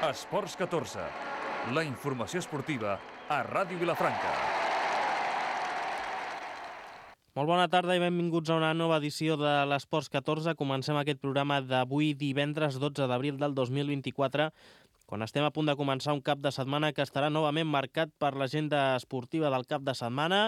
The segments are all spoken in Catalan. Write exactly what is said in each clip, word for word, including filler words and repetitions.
Esports catorze, la informació esportiva a Ràdio Vilafranca. Molt bona tarda i benvinguts a una nova edició de l'Esports catorze. Comencem aquest programa d'avui divendres dotze d'abril del dos mil vint-i-quatre, quan estem a punt de començar un cap de setmana que estarà novament marcat per l'agenda esportiva del cap de setmana,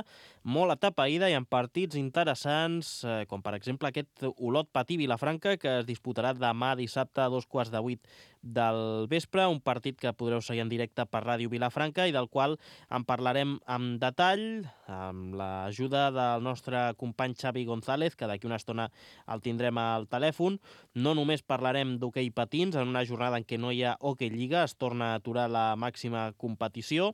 molt atapeïda i amb partits interessants, eh, com per exemple aquest Olot Patí Vilafranca, que es disputarà demà dissabte a dos quarts de vuit del vespre, un partit que podreu seguir en directe per Ràdio Vilafranca i del qual en parlarem amb detall, amb l'ajuda del nostre company Xavi González, que d'aquí una estona el tindrem al telèfon. No només parlarem d'hoquei patins, en una jornada en què no hi ha hoquei lliga, es torna a aturar la màxima competició,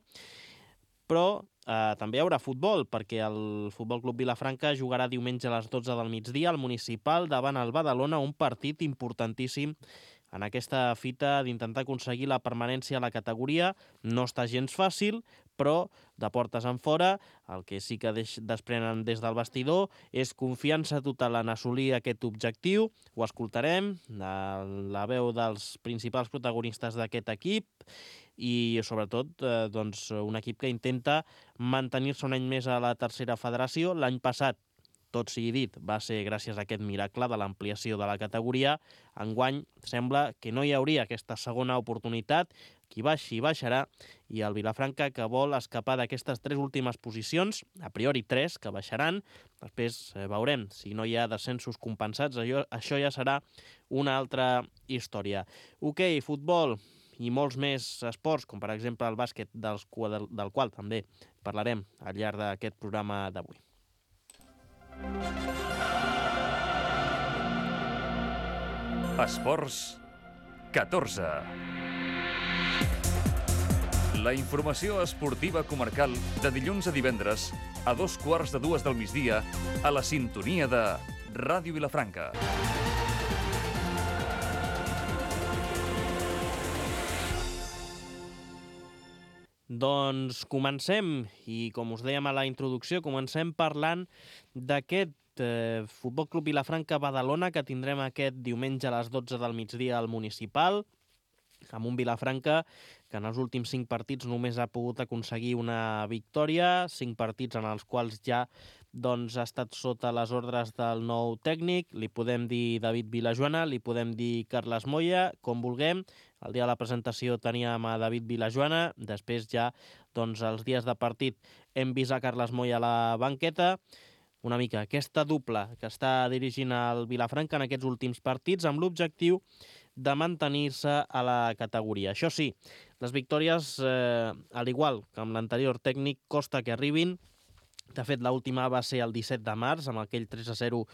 però eh, també hi haurà futbol, perquè el Futbol Club Vilafranca jugarà diumenge a les dotze del migdia al Municipal davant el Badalona, un partit importantíssim en aquesta fita d'intentar aconseguir la permanència a la categoria. No està gens fàcil, però de portes en fora el que sí que deix, desprenen des del vestidor és confiança total en assolir aquest objectiu. Ho escoltarem, la veu dels principals protagonistes d'aquest equip i sobretot eh, doncs, un equip que intenta mantenir-se un any més a la tercera federació. L'any passat, tot sigui dit, va ser gràcies a aquest miracle de l'ampliació de la categoria. Enguany sembla que no hi hauria aquesta segona oportunitat, qui baixi baixarà, i el Vilafranca, que vol escapar d'aquestes tres últimes posicions, a priori tres, que baixaran, després eh, veurem si no hi ha descensos compensats, això, això ja serà una altra història. Hoquei, futbol i molts més esports, com per exemple el bàsquet, dels, del, del qual també parlarem al llarg d'aquest programa d'avui. Esports catorze. La informació esportiva comarcal de dilluns a divendres a dos quarts de dues del migdia a la sintonia de Ràdio Vilafranca. Doncs comencem, i com us dèiem a la introducció, comencem parlant d'aquest eh, Futbol Club Vilafranca Badalona que tindrem aquest diumenge a les dotze del migdia al Municipal, amb un Vilafranca que en els últims cinc partits només ha pogut aconseguir una victòria, cinc partits en els quals ja doncs, ha estat sota les ordres del nou tècnic. Li podem dir David Vilajoana, li podem dir Carles Moya, com vulguem. El dia de la presentació teníem a David Vilajoana, després ja doncs, els dies de partit hem vist a Carles Moya a la banqueta. Una mica aquesta dupla que està dirigint el Vilafranca en aquests últims partits amb l'objectiu de mantenir-se a la categoria. Això sí, les victòries, eh, al igual que amb l'anterior tècnic, costa que arribin. De fet, l'última va ser el disset de març, amb aquell tres a zero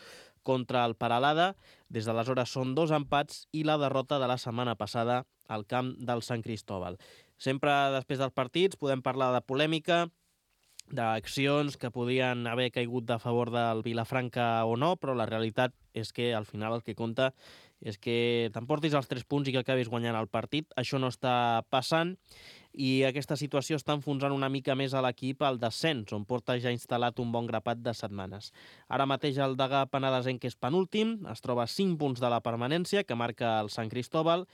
contra el Peralada. Des d'aleshores són dos empats i la derrota de la setmana passada al camp del Sant Cristóbal. Sempre després dels partits podem parlar de polèmica, d'accions que podien haver caigut de favor del Vilafranca o no, però la realitat és que al final el que compta és que t'emportis els tres punts i que acabis guanyant el partit. Això no està passant i aquesta situació està enfonsant una mica més a l'equip al descens, on porta ja instal·lat un bon grapat de setmanes. Ara mateix el Degà Penedesenc, que és penúltim, es troba a cinc punts de la permanència, que marca el Sant Cristóbal,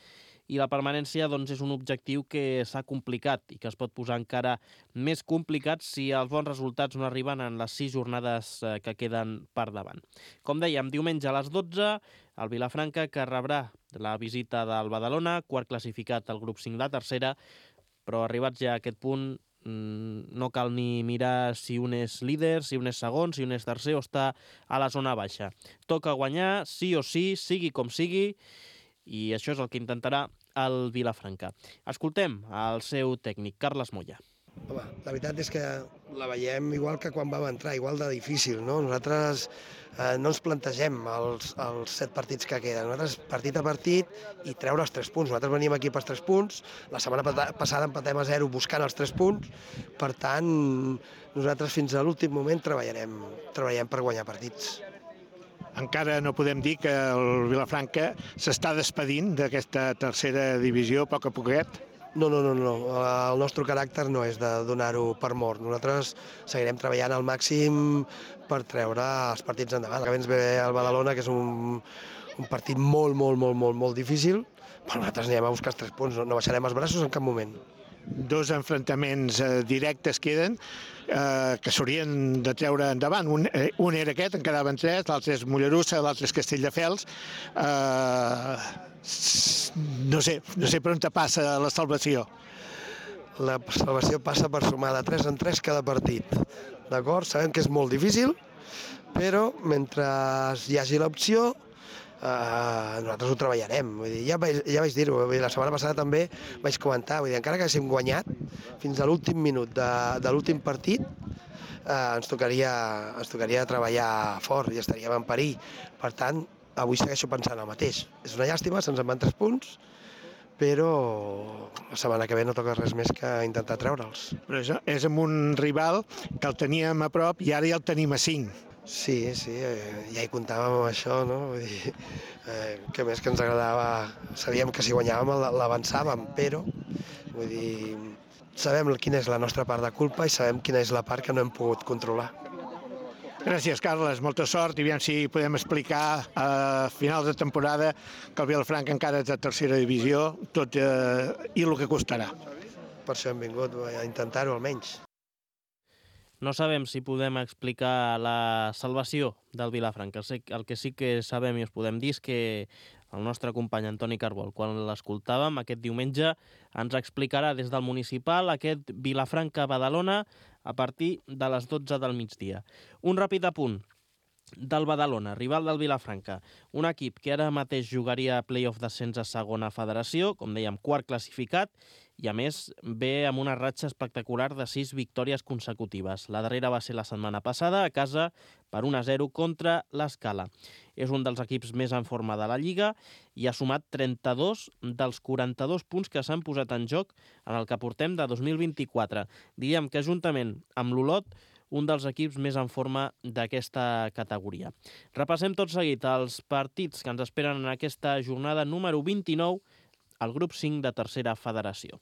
i la permanència doncs, és un objectiu que s'ha complicat i que es pot posar encara més complicat si els bons resultats no arriben en les sis jornades que queden per davant. Com dèiem, diumenge a les dotze, el Vilafranca, que rebrà la visita del Badalona, quart classificat al grup cinc de tercera, però arribats ja a aquest punt no cal ni mirar si un és líder, si un és segon, si un és tercer o està a la zona baixa. Toca guanyar, sí o sí, sigui com sigui, i això és el que intentarà el Vilafranca. Escoltem el seu tècnic, Carles Moya. Home, la veritat és que la veiem igual que quan vam entrar, igual de difícil, no? Nosaltres eh, no ens plantegem els, els set partits que queden. Nosaltres partit a partit i treure els tres punts. Nosaltres venim aquí pels tres punts, la setmana passada empatem a zero buscant els tres punts, per tant, nosaltres fins a l'últim moment treballarem, treballarem per guanyar partits. Encara no podem dir que el Vilafranca s'està despedint d'aquesta tercera divisió a poc a poquet? No, no, no, no. El nostre caràcter no és de donar-ho per mort. Nosaltres seguirem treballant al màxim per treure els partits endavant. Que ens ve el Badalona, que és un, un partit molt, molt, molt, molt, molt difícil, però nosaltres anirem a buscar els tres punts, no, no baixarem els braços en cap moment. Dos enfrontaments eh, directes queden eh, que s'haurien de treure endavant. Un, eh, un era aquest, en quedaven tres, l'altre és Mollerussa, l'altre és Castelldefels. Eh, no sé, no sé per on te passa la salvació. La salvació passa per sumar de tres en tres cada partit. D'acord? Sabem que és molt difícil, però mentre hi hagi l'opció, Uh, nosaltres ho treballarem. Vull dir, ja vaig, ja vaig dir-ho, la setmana passada també vaig comentar, vull dir, encara que haguéssim guanyat fins a l'últim minut de, de l'últim partit, uh, ens, tocaria, ens tocaria treballar fort i estaríem en perill. Per tant, avui segueixo pensant el mateix. És una llàstima, se'ns en van tres punts, però la setmana que ve no toca res més que intentar treure'ls. Però és, és amb un rival que el teníem a prop i ara ja el tenim a cinc. Sí, sí, eh, ja hi comptàvem amb això, no? Vull dir, eh, que més que ens agradava, sabíem que si guanyàvem l'avançàvem, però vull dir, sabem quina és la nostra part de culpa i sabem quina és la part que no hem pogut controlar. Gràcies, Carles, molta sort i aviam si podem explicar a finals de temporada que el Vilafranca encara és de tercera divisió, tot eh, i el que costarà. Per això hem vingut a intentar-ho almenys. No sabem si podem explicar la salvació del Vilafranca. El que sí que sabem i us podem dir és que el nostre company Antoni Carbol, quan l'escoltàvem aquest diumenge, ens explicarà des del municipal aquest Vilafranca-Badalona a partir de les dotze del migdia. Un ràpid apunt del Badalona, rival del Vilafranca. Un equip que ara mateix jugaria a play-off d'ascens a segona federació, com dèiem, quart classificat, i a més ve amb una ratxa espectacular de sis victòries consecutives. La darrera va ser la setmana passada, a casa, per un a zero contra l'Escala. És un dels equips més en forma de la Lliga i ha sumat trenta-dos dels quaranta-dos punts que s'han posat en joc en el que portem de dos mil vint-i-quatre. Diguem que juntament amb l'Olot, un dels equips més en forma d'aquesta categoria. Repassem tot seguit els partits que ens esperen en aquesta jornada número vint-i-nou al grup cinc de tercera federació.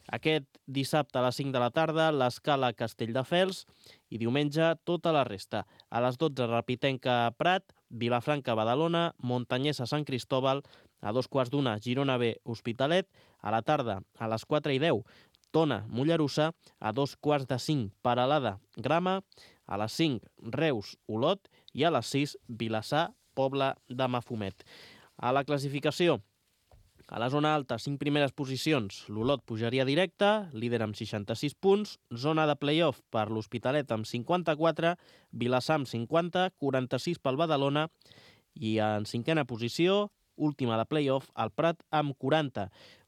Aquest dissabte a les cinc de la tarda, l'Escala Castelldefels i diumenge tota la resta. A les dotze, Rapitenca Prat, Vilafranca Badalona, Montanyès a Sant Cristóbal, a dos quarts d'una, Girona B Hospitalet, a la tarda, a les quatre i deu, Tona Mollerussa, a dos quarts de cinc, Peralada Grama, a les cinc, Reus Olot i a les sis, Vilassar Pobla de Mafumet. A la classificació, a la zona alta, cinc primeres posicions, l'Olot pujaria directe, líder amb seixanta-sis punts, zona de play-off per l'Hospitalet amb cinquanta-quatre, Vilassar amb cinquanta, quaranta-sis pel Badalona i en cinquena posició, última de play-off, el Prat amb quaranta.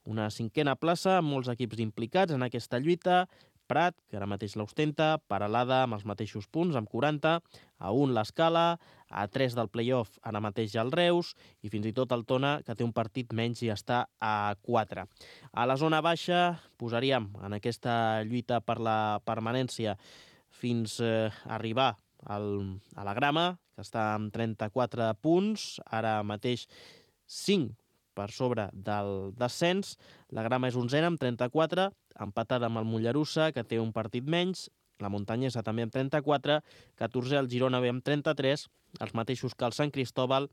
Una cinquena plaça amb molts equips implicats en aquesta lluita, Prat, que ara mateix l'ostenta, Peralada amb els mateixos punts, amb quaranta, a un l'Escala, a tres del play-off ara mateix ja el Reus, i fins i tot el Tona, que té un partit menys i està a quatre. A la zona baixa posaríem en aquesta lluita per la permanència fins a arribar al, a la Grama, que està amb trenta-quatre punts, ara mateix cinc per sobre del descens. La Grama és onzena amb trenta-quatre, empatada amb el Mollerussa, que té un partit menys, la Montanyesa també amb trenta-quatre, catorzè el Girona B amb trenta-tres, els mateixos que el Sant Cristóbal,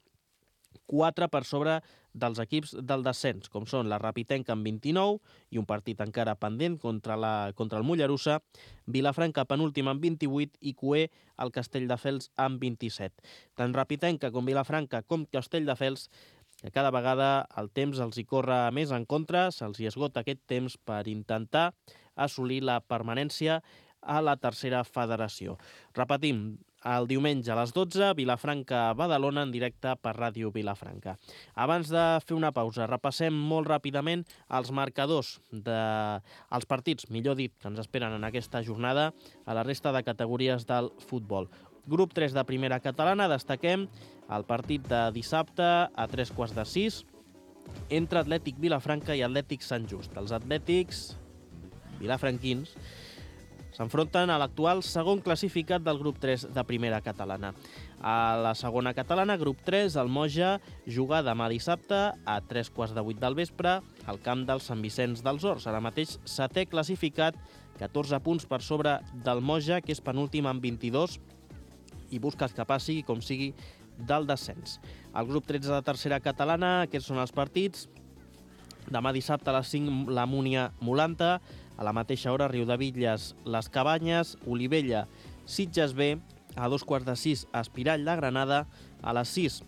quatre per sobre dels equips del descens, com són la Rapitenca amb vint-i-nou i un partit encara pendent contra, la, contra el Mollerussa, Vilafranca penúltima amb vint-i-vuit i Cué el Castelldefels amb vint-i-set. Tant Rapitenca com Vilafranca com Castelldefels, que cada vegada el temps els hi corre més en contra, se'ls hi esgota aquest temps per intentar assolir la permanència a la tercera federació. Repetim, el diumenge a les dotze, Vilafranca-Badalona en directe per Ràdio Vilafranca. Abans de fer una pausa, repassem molt ràpidament els marcadors dels partits, millor dit, que ens esperen en aquesta jornada a la resta de categories del futbol. Grup tres de primera catalana, destaquem el partit de dissabte a tres quarts de sis entre Atlètic Vilafranca i Atlètic Sant Just. Els atlètics vilafranquins s'enfronten a l'actual segon classificat del grup tres de primera catalana. A la segona catalana, grup tres, el Moja juga demà dissabte a tres quarts de vuit del vespre al camp del Sant Vicenç dels Horts. Ara mateix setè classificat, catorze punts per sobre del Moja, que és penúltim amb vint-i-dos, i busca escapar, sigui com sigui, del descens. Al grup tretze de tercera catalana, aquests són els partits. Demà dissabte a les cinc la Múnia Molanta, a la mateixa hora Riudebitlles Les Cabanyes, Olivella Sitges B, a dos quarts de sis Espirall de Granada, a les sis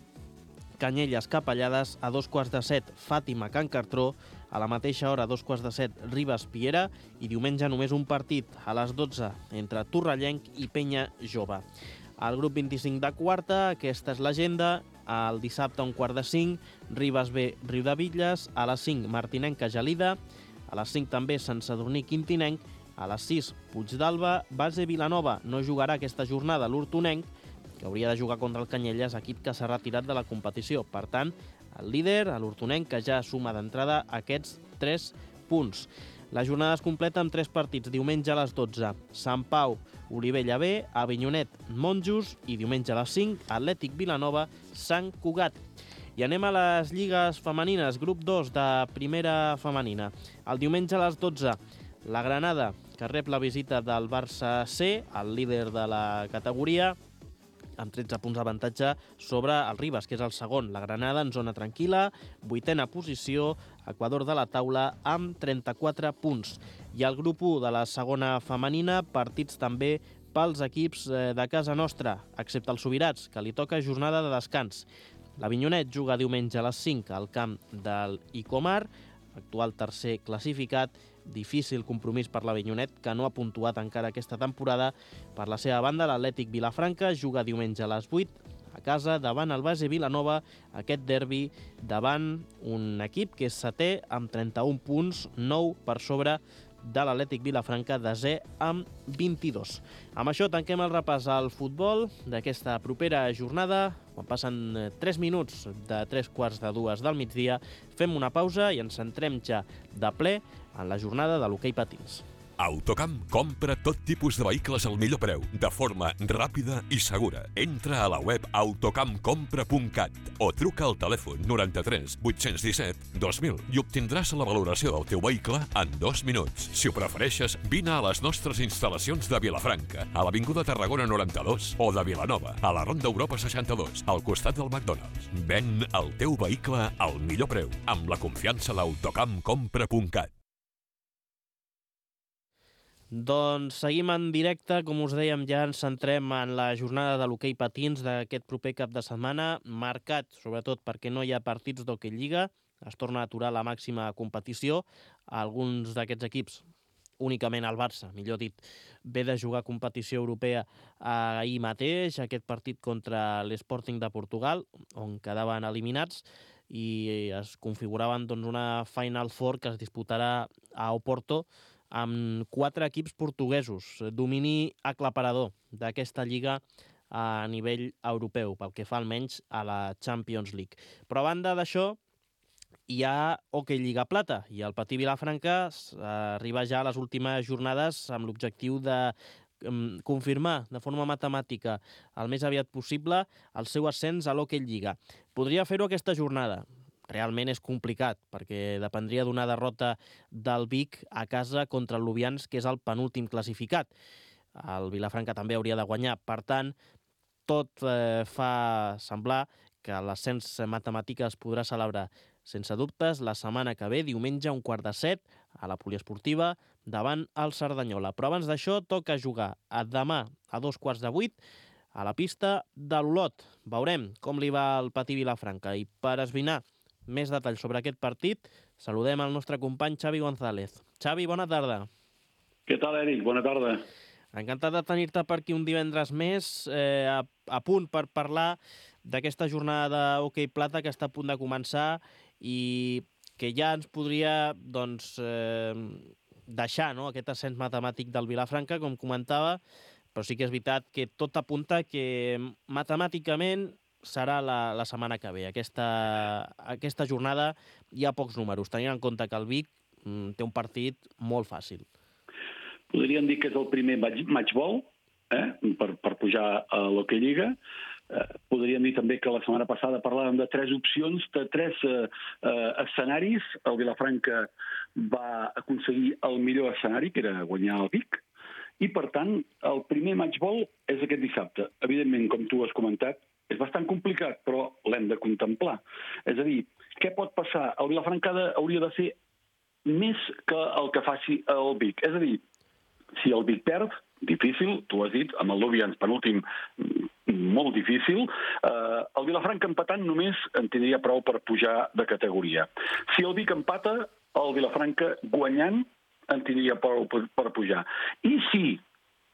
Canyelles Capellades, a dos quarts de set Fàtima Can Cartró, a la mateixa hora a dos quarts de set Ribes Piera i diumenge només un partit a les dotze entre Torrellenc i Penya Jove. Al grup vint-i-cinc de quarta, aquesta és l'agenda. El dissabte a un quart de cinc, Ribes B, Riudebitlles. A les cinc, Martinenca Gelida. A les cinc també Sant Sadurní Quintinenc. A les sis, Puigdàlber. Base Vilanova no jugarà aquesta jornada l'Hortonenc, que hauria de jugar contra el Canyelles, equip que s'ha retirat de la competició. Per tant, el líder, l'Hortonenc, que ja suma d'entrada aquests tres punts. La jornada es completa amb tres partits. Diumenge a les dotze, Sant Pau, Olivella B, Avinyonet, Monjos, i diumenge a les cinc, Atlètic Vilanova, Sant Cugat. I anem a les lligues femenines, grup dos de primera femenina. El diumenge a les dotze, la Granada, que rep la visita del Barça C, el líder de la categoria, amb tretze punts d'avantatge sobre el Ribes, que és el segon. La Granada en zona tranquil·la, vuitena posició, Equador de la taula amb trenta-quatre punts. I el grup u de la segona femenina, partits també pels equips de casa nostra, excepte els Subirats, que li toca jornada de descans. L'Avinyonet juga diumenge a les cinc al camp del Icomar, actual tercer classificat. Difícil compromís per l'Avinyonet, que no ha puntuat encara aquesta temporada. Per la seva banda, l'Atlètic Vilafranca juga diumenge a les vuit a casa davant el Base Vilanova, aquest derbi davant un equip que és setè amb trenta-un punts, nou per sobre de l'Atlètic Vilafranca, desè amb vint-i-dos. Amb això tanquem el repàs al futbol d'aquesta propera jornada. Quan passen tres minuts de tres quarts de dues del migdia, fem una pausa i ens centrem ja de ple en la jornada de l'hoquei patins. Autocamp compra tot tipus de vehicles al millor preu, de forma ràpida i segura. Entra a la web autocamp compra punt cat o truca al telèfon noranta-tres vuit-cents disset dos mil i obtindràs la valoració del teu vehicle en dos minuts. Si ho prefereixes, vine a les nostres instal·lacions de Vilafranca, a l'Avinguda Tarragona noranta-dos, o de Vilanova, a la Ronda Europa seixanta-dos, al costat del McDonald's. Ven el teu vehicle al millor preu, amb la confiança d'Autocamp compra punt cat. Doncs seguim en directe, com us dèiem, ja ens centrem en la jornada de l'hoquei patins d'aquest proper cap de setmana, marcat sobretot perquè no hi ha partits d'hoquei lliga, es torna a aturar la màxima competició. Alguns d'aquests equips, únicament el Barça, millor dit, ve de jugar competició europea ahir mateix, aquest partit contra l'Sporting de Portugal, on quedaven eliminats, i es configuraven doncs, una Final Four que es disputarà a Oporto, amb quatre equips portuguesos, domini aclaparador d'aquesta lliga a nivell europeu, pel que fa almenys a la Champions League. Però a banda d'això, hi ha hoquei Lliga Plata, i el Patí Vilafranca arriba ja a les últimes jornades amb l'objectiu de confirmar de forma matemàtica el més aviat possible el seu ascens a l'hoquei Lliga. Podria fer-ho aquesta jornada. Realment és complicat, perquè dependria d'una derrota del Vic a casa contra el Lubians, que és el penúltim classificat. El Vilafranca també hauria de guanyar. Per tant, tot eh, fa semblar que l'ascens matemàtic es podrà celebrar sense dubtes la setmana que ve, diumenge, a un quart de set, a la poliesportiva, davant el Cerdanyola. Però abans d'això, toca jugar a demà a dos quarts de vuit a la pista de l'Olot. Veurem com li va al Patí Vilafranca. I per esbrinar més detalls sobre aquest partit, saludem el nostre company Xavi González. Xavi, bona tarda. Què tal, Eric? Bona tarda. Encantat de tenir-te per aquí un divendres més, eh, a, a punt per parlar d'aquesta jornada d'hoquei plata que està a punt de començar i que ja ens podria doncs, eh, deixar no, aquest ascens matemàtic del Vilafranca, com comentava, però sí que és veritat que tot apunta que matemàticament serà la, la setmana que ve. Aquesta, aquesta jornada hi ha pocs números, tenint en compte que el Vic mm, té un partit molt fàcil. Podríem dir que és el primer match ball eh, per, per pujar a l'Hockey Lliga. Eh, podríem dir també que la setmana passada parlàvem de tres opcions, de tres eh, eh, escenaris. El Vilafranca va aconseguir el millor escenari, que era guanyar el Vic, i per tant el primer match ball és aquest dissabte. Evidentment, com tu has comentat, és bastant complicat, però l'hem de contemplar. És a dir, què pot passar? El Vilafranca hauria de fer més que el que faci el Vic. És a dir, si el Vic perd, difícil, tu has dit, amb el Lubians penúltim, molt difícil, eh, el Vilafranca empatant només en tindria prou per pujar de categoria. Si el Vic empata, el Vilafranca guanyant en tindria prou per, per pujar. I si,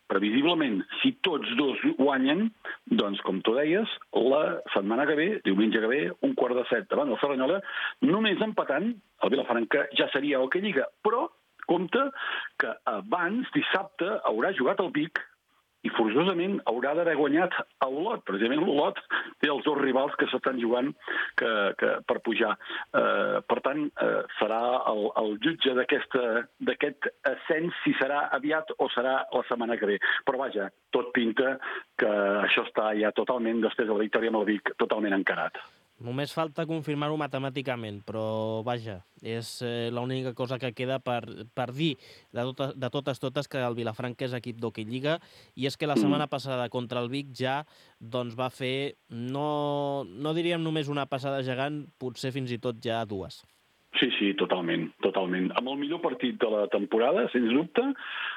previsiblement, si tots dos guanyen, doncs, com tu deies, la setmana que ve, diumenge que ve, un quart de set davant del Cerdanyola, només empatant, el Vilafranca ja seria el que lliga. Però, compte que abans, dissabte, haurà jugat el Vic i forçosament haurà d'haver guanyat a Olot. Precisament l'Olot té els dos rivals que s'estan jugant que, que, per pujar. Eh, per tant, eh, serà el, el jutge d'aquest ascens, si serà aviat o serà la setmana que ve. Però vaja, tot pinta que això està ja totalment, després de la victòria amb el Vic, totalment encarat. Només falta confirmar-ho matemàticament, però vaja, és eh, l'única cosa que queda per, per dir de, tota, de totes totes que el Vilafranca és equip d'Hockey Lliga, i és que la setmana passada contra el Vic ja doncs, va fer, no, no diríem només una passada gegant, potser fins i tot ja dues. Sí, sí, totalment, totalment. Amb el millor partit de la temporada, sens dubte,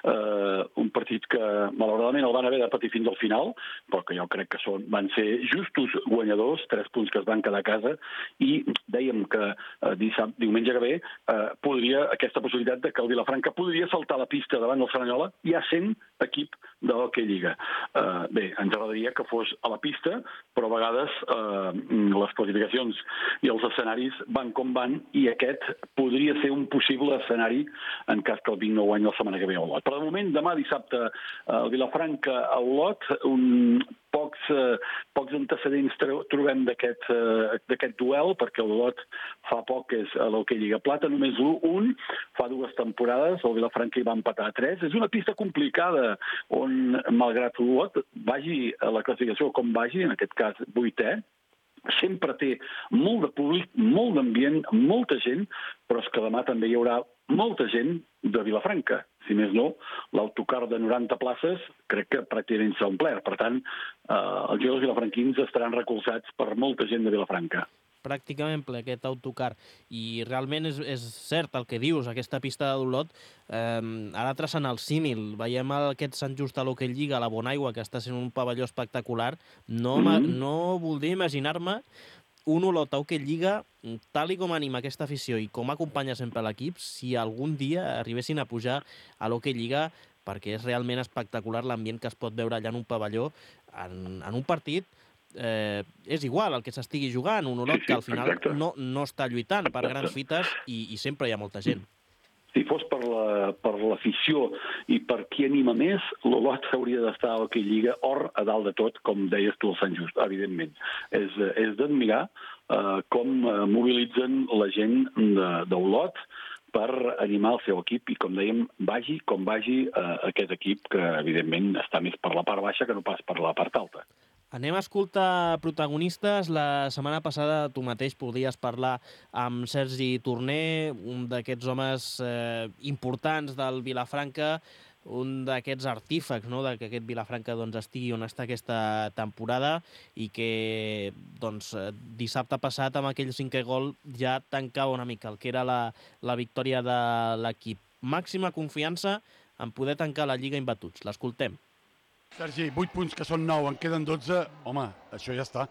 eh, un partit que malauradament el van haver de patir fins al final, però que jo crec que són, van ser justos guanyadors, tres punts que es van quedar a casa, i dèiem que eh, dissabte, diumenge que ve, eh, podria, aquesta possibilitat de que el Vilafranca podria saltar la pista davant del Cerdanyola, ja sent equip de l'Hockey Lliga. Eh, bé, ens agradaria que fos a la pista, però a vegades eh, les classificacions i els escenaris van com van, i aquest podria ser un possible escenari en cas que el Vic no guanyi la setmana que ve a Olot. Per al moment, demà dissabte, el Vilafranca a Olot, un, pocs, eh, pocs antecedents trobem d'aquest eh, duel, perquè l'Olot fa poc és a l'Hockey Lliga Plata, només un, fa dues temporades, el Vilafranca hi va empatar a tres. És una pista complicada on, malgrat l'Olot vagi a la classificació com vagi, en aquest cas vuitè, sempre té molt de públic, molt d'ambient, molta gent, però és que demà també hi haurà molta gent de Vilafranca. Si més no, l'autocar de noranta places crec que pràcticament s'ha omplert. Per tant, eh, els jugadors vilafranquins estaran recolzats per molta gent de Vilafranca. Pràcticament ple aquest autocar, i realment és, és cert el que dius, aquesta pista de d'Olot, eh, ara traçant el símil, veiem aquest Sant Just a l'Hockey Lliga, a la Bonaigua, que està sent un pavelló espectacular, no, mm-hmm. no voldria imaginar-me un Olot a Hockey Lliga, tal i com anima aquesta afició i com acompanya sempre l'equip, si algun dia arribessin a pujar a l'Hockey Lliga, perquè és realment espectacular l'ambient que es pot veure allà en un pavelló, en, en un partit. Eh, és igual el que s'estigui jugant, un Olot que al final no, no està lluitant per grans fites i, i sempre hi ha molta gent. Si fos per la, per l'afició i per qui anima més, l'Olot hauria d'estar a l'Hockey Lliga or a dalt de tot, com deies tu, el Sant Just, evidentment. És, és d'admirar eh, com mobilitzen la gent d'Olot per animar el seu equip i, com dèiem, vagi com vagi eh, aquest equip que, evidentment, està més per la part baixa que no pas per la part alta. Anem a escoltar protagonistes. La setmana passada tu mateix podies parlar amb Sergi Torner, un d'aquests homes eh, importants del Vilafranca, un d'aquests artífecs, no?, de que aquest Vilafranca doncs, estigui on està aquesta temporada i que doncs, dissabte passat amb aquell cinquè gol ja tancava una mica el que era la, la victòria de l'equip. Màxima confiança en poder tancar la Lliga imbatuts. L'escoltem. Sergi, vuit punts que són nou, en queden dotze, home, això ja està.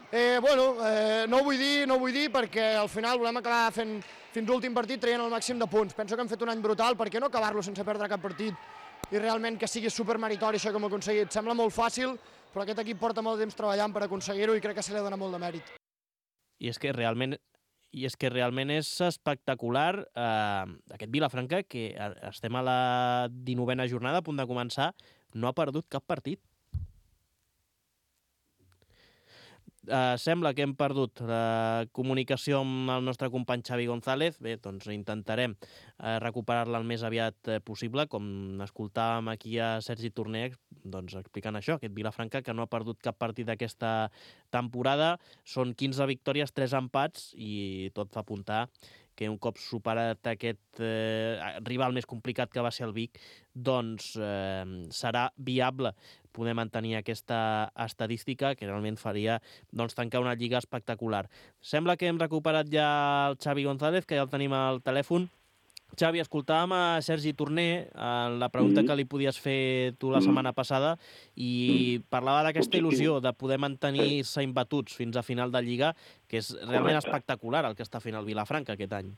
Eh, bueno, eh, no ho vull dir, no ho vull dir perquè al final volem acabar fent fins l'últim partit traient el màxim de punts. Penso que hem fet un any brutal, per què no acabar-lo sense perdre cap partit i realment que sigui supermeritori això que hem aconseguit. Sembla molt fàcil, però aquest equip porta molt temps treballant per aconseguir-ho i crec que se li dona molt de mèrit. I és que realment I és que realment és espectacular eh, aquest Vilafranca, que estem a la dinovena jornada, a punt de començar, no ha perdut cap partit. Uh, sembla que hem perdut la comunicació amb el nostre company Xavi González. Bé, doncs intentarem uh, recuperar-la el més aviat uh, possible, com escoltàvem aquí a Sergi Torner, doncs explicant això, aquest Vilafranca que no ha perdut cap partit d'aquesta temporada. Són quinze victòries, tres empats, i tot fa apuntar que un cop superat aquest eh, rival més complicat que va ser el Vic, doncs eh, serà viable poder mantenir aquesta estadística que realment faria doncs, tancar una lliga espectacular. Sembla que hem recuperat ja el Xavi González, que ja el tenim al telèfon. Xavi, escoltàvem a Sergi Torner en la pregunta mm. que li podies fer tu la setmana passada i mm. parlava d'aquesta il·lusió de poder mantenir-se imbatuts fins a final de Lliga, que és realment Correcte. espectacular el que està fent el Vilafranca aquest any.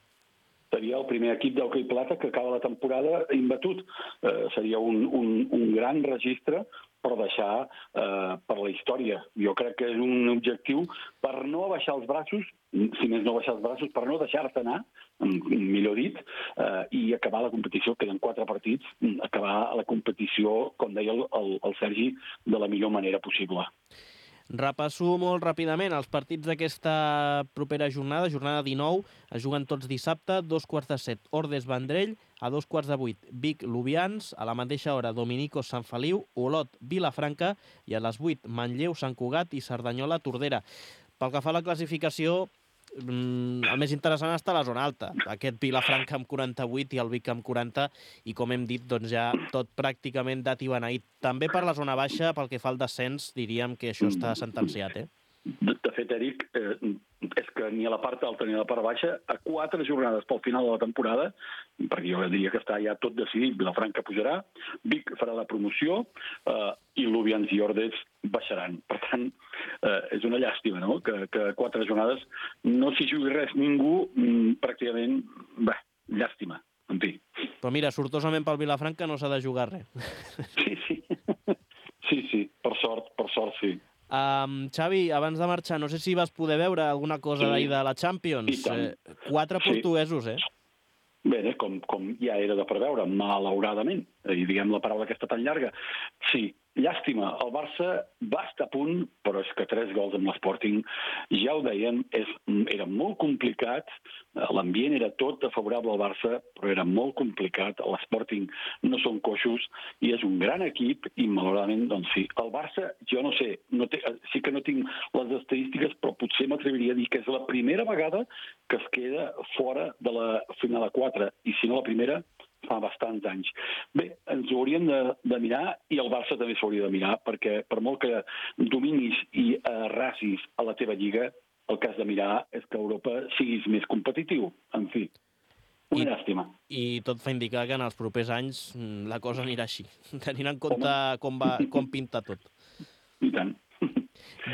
Seria el primer equip d'hoquei plata que acaba la temporada imbatut. Eh, seria un, un, un gran registre per deixar eh, per la història. Jo crec que és un objectiu per no baixar els braços, si més no baixar els braços, per no deixar-te anar, millor dit, eh, i acabar la competició, queden quatre partits, acabar la competició, com deia el, el, el Sergi, de la millor manera possible. Repasso molt ràpidament els partits d'aquesta propera jornada, jornada dinou, es juguen tots dissabte, dos quarts de set, Ordes Vendrell, a dos quarts de vuit, Vic Lubians, a la mateixa hora, Dominicos Sant Feliu, Olot Vilafranca, i a les vuit, Manlleu Sant Cugat i Cerdanyola Tordera. Pel que fa a la classificació, el més interessant està a la zona alta. Aquest Vilafranca amb quaranta-vuit i el Vic amb quaranta, i com hem dit, doncs ja tot pràcticament dat i beneït. També per la zona baixa, pel que fa al descens, diríem que això està sentenciat, eh? De, de fet, Eric, eh, és que ni a la part alta ni a la part baixa, a quatre jornades pel final de la temporada, perquè jo diria que està ja tot decidit, Vilafranca pujarà, Vic farà la promoció eh, i Lubians i Ordes baixaran. Per tant, eh, és una llàstima, no?, que, que a quatre jornades no s'hi jugui res ningú, mm, pràcticament, bé, llàstima, en fi. Però mira, sortosament pel Vilafranca no s'ha de jugar res. Sí, sí, sí, sí, per sort, per sort, sí. Um, Xavi, abans de marxar, no sé si vas poder veure alguna cosa sí. d'ahir de la Champions. Eh, quatre sí. portuguesos, eh? Bé, com, com ja era de preveure, malauradament, i diguem la paraula aquesta tan llarga. Sí, llàstima, el Barça va estar a punt, però és que tres gols amb l'Sporting, ja ho dèiem, és, era molt complicat, l'ambient era tot favorable al Barça, però era molt complicat, l'Sporting no són coixos, i és un gran equip, i malauradament, doncs sí, el Barça, jo no sé, no té, sí que no tinc les estadístiques, però potser m'atreviria a dir que és la primera vegada que es queda fora de la final a quatre, i si no la primera, fa bastants anys. Bé, ens ho hauríem de, de mirar, i el Barça també s'hauria de mirar, perquè per molt que dominis i arrasis a la teva lliga, el que has de mirar és que Europa siguis més competitiu. En fi, una I, llàstima. I tot fa indicar que en els propers anys la cosa anirà així, tenint en compte com, va, com pinta tot. I tant.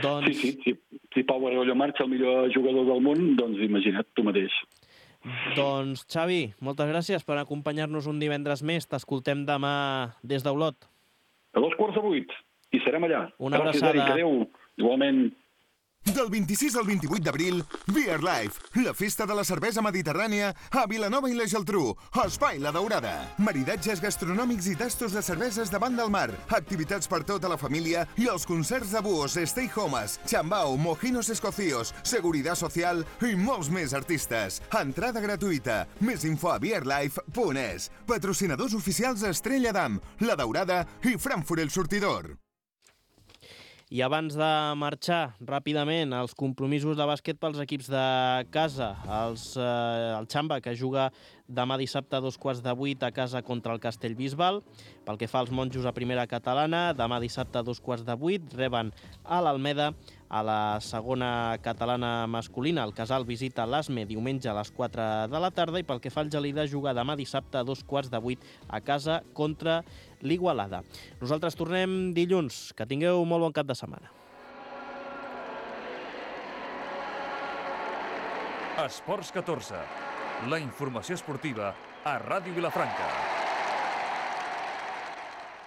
Doncs... Sí, sí, sí. Si Pau Argollo marxa, el millor jugador del món, doncs imagina't tu mateix. Doncs, Xavi, moltes gràcies per acompanyar-nos un divendres més. T'escoltem demà des d'Olot. A dos quarts de vuit. I serem allà. Una abraçada. Gràcies, Eric. Adéu. Igualment. Del vint-i-sis al vint-i-vuit d'abril, Beer Life, la festa de la cervesa mediterrània a Vilanova i la Geltrú, Espai La Daurada. Maridatges gastronòmics i tastos de cerveses davant del mar, activitats per tota la família i els concerts de búhos, stay homes, chambao, mojinos escocíos, seguridad social i molts més artistes. Entrada gratuïta. Més info a beer life punt es. Patrocinadors oficials Estrella Damm, La Daurada i Frankfurt El Sortidor. I abans de marxar, ràpidament, els compromisos de bàsquet pels equips de casa. Els, eh, el Xamba, que juga demà dissabte a dos quarts de vuit a casa contra el Castellbisbal. Pel que fa als monjos a primera catalana, demà dissabte a dos quarts de vuit reben a l'Almeda. A la segona catalana masculina, el Casal visita l'Asme diumenge a les quatre de la tarda, i pel que fa al Gelida, juga demà dissabte a dos quarts de vuit a casa contra l'Igualada. Nosaltres tornem dilluns. Que tingueu molt bon cap de setmana. Esports catorze. La informació esportiva a Ràdio Vilafranca.